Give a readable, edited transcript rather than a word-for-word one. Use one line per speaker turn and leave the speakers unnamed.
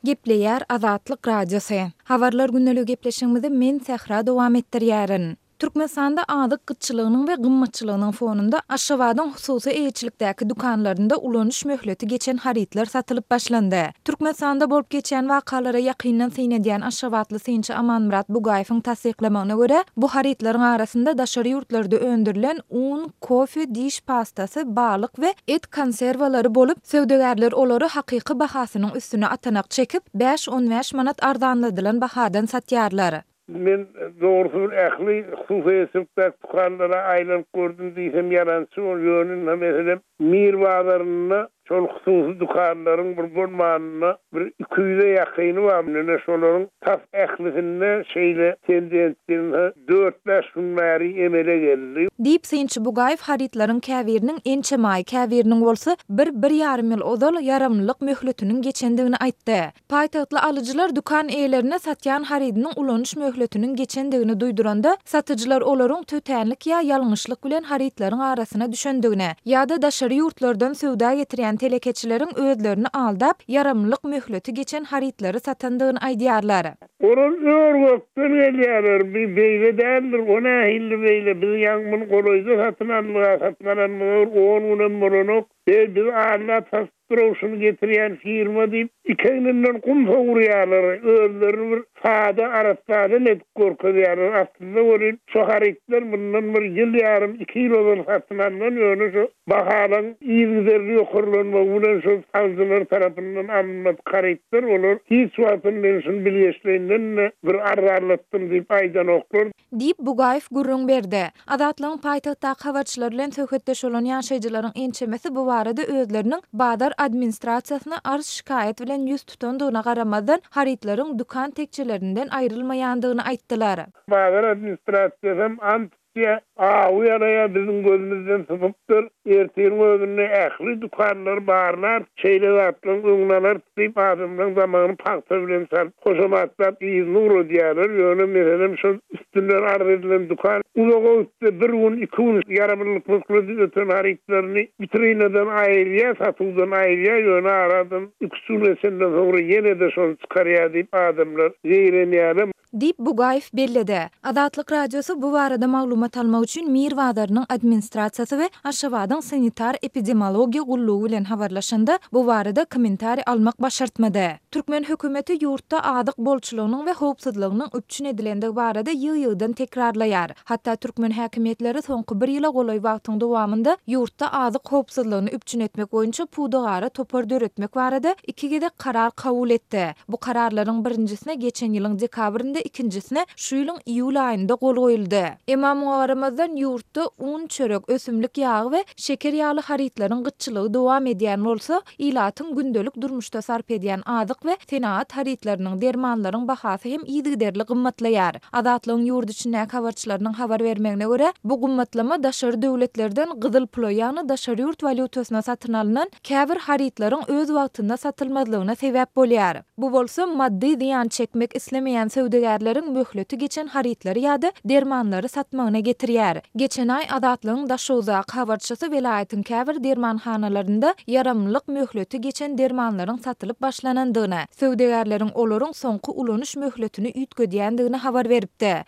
Gepleýär Azatlyk Radiosy. Habarlar gündeligi gepleşigimizi men Sähra dowam etdirýärin. Türkmenistanda azyk gytçylygynyň we gymmatçylygynyň fonunda Aşgabadyň hususy eýeçilikdäki dükanlarynda ulanyş möhleti geçen harytlar satylyp başlandy. Türkmenistanda bolup geçýän wakalara ýakyndan syn edýän aşgabatly synçy Amanmyrat Bugaýewiň tassyklamagyna görä, bu harytlaryň arasynda daşary ýurtlarda öndürilen un, kofe, diş pastasy, balyk we et konserwalary bolup, söwdagärler olary hakyky bahasynyň üstüne atanak çekip, bäş-on bäş manat arzanladylan bahadan satýarlar.
Men dogrusy bir ähli hususy eýeçilikdäki dükanlara aýlanyp gördüm diýsem ýalançy bol, ýöne ynha meselem Mir bazarynda şol hususy dükanlaryň bir bolmanynda bir 200-e ýakyny bar, ine şolaryň tas ählisinde şeýle tendensiýa ynha dört-bäş gün bäri emele geldi.
Diýip, synçy Bugaýew harytlaryň käbiriniň ençeme aý, käbiriniň bolsa bir, bir ýarym ýyl ozal ýaramlylyk möhletiniň geçendigini aýtdy. Paýtagtly alyjylar dükan eýelerine satýan harydynyň ulanyş möhletiniň geçendigini duýduranda, satyjylar olaryň tötänlik ýa ýalňyşlyk bilen harytlaryň arasyna düşendigini, ýa-da daşary ýurtlardan söwda getirýän telekeçileriň özlerini aldap, ýaramlylyk möhleti geçen harytlary satandygyny aýdýarlar.
Olar ör-gökden gelýärler, bi beýle däldir, o nähilli beýle, biz ýaňy muny golaýda satyn aldyk-a, satyn alanymyza bir on günem bolanok, Beý, bizi aldap satypdyr-ow şuny getirýän firma diýip, iki egninden gum sowurýarlar, özlerini bir sada, arassa adam edip görkezýärler. Aslynda welin, şo harytlar mundan bir ýyl ýarym, iki ýyl ozal satyn alnan, ýöne şo bahalaryň yzygiderli ýokarlanmagy bilen şol alyjylar tarapyndan alynmadyk harytlar, olar hiç wagtam men şuny bilgeşleýinden-de bir arzanlatdym diýip aýdanoklar.
Diýip, Bugaýew gürrüň berdi. Azatlygyň paýtagtdaky habarçylary bilen söhbetdeş bolan ýaşaýjylaryň ençemesi bu barada özleriniň bazar administrasiýasyna arz-şikaýat bilen ýüz tutandygyna garamazdan, harytlaryň dükan tekjelerinden aýrylmaýandygyny aýtdylar.
Bazar administrasiýasam ant içýär, awy ýalaýar, biziň gözümizden sypypdyr. Ertiriň özünde ähli dükanlary barlarys, şeýle zatlaryň öňüni alarys diýip, adamlaryň damagyny pagta bilen çalyp, hoşamatlap yzyna ugradýarlar. Ýöne, meselem, şol üstünden arz edilen dükan uzaga gitse bir gün, iki gün ýaramlylyk möhleti öten harytlaryny witrinadan aýyrýar, satuwdan aýyrýar, ýöne aradan iki-üç gün geçenden soňra ýene-de şony çykarýar diýip, adamlar zeýrenýärler.
Diýip, Bugaýew belledi. Azatlyk Radiosy bu barada maglumat almak üçin Mir bazarynyň administrasiýasy we Aşgabadyň sanitar-epidemiologiýa gullugy bilen habarlaşanda, bu barada kommentariý almak başartmady. Türkmen hökümeti ýurtda azyk bolçulygynyň we howpsuzlygynyň üpjün edilendigi barada ýygy-ýygydan tekrarlaýar. Hatda türkmen häkimiýetleri soňky bir ýyla golaý wagtyň dowamynda ýurtda azyk howpsuzlygyny üpjün etmek boýunça pudagara topar döretmek barada iki gezek karar kabul etdi. Bu kararlaryň birinjisine geçen ýylyň dekabrynda, ikinjisine şu ýylyň iýul aýynda gol goýuldy. Emma muňa garamazdan, ýurtda un, çörek, ösümlik ýagy we şeker ýaly harytlaryň gytçylygy dowam edýän bolsa, ilatyň gündelik durmuşda sarp edýän azyk we senagat harytlarynyň, dermanlaryň bahasy hem yzygiderli gymmatlaýar. Azatlygyň ýurt içindäki habarçylarynyň habar bermegine görä, bu gymmatlama daşary döwletlerden gyzyl pula, ýagny daşary ýurt walýutasyna satyn alnan käbir harytlaryň öz wagtynda satylmazlygyna sebäp bolýar. Bu bolsa maddy zyýan çekmek islemeýän söwdagärleriň möhleti geçen harytlary ýa-da dermanlary satmagyna getirýär. Geçen aý Azatlygyň Daşoguzdaky habarçysy welaýatyň käbir dermanhanalarynda ýaramlylyk möhleti geçen dermanlaryň satylyp başlanandygyny, söwdagärleriň olaryň soňky ulanyş möhletini üýtgedýändigini habar beripdi.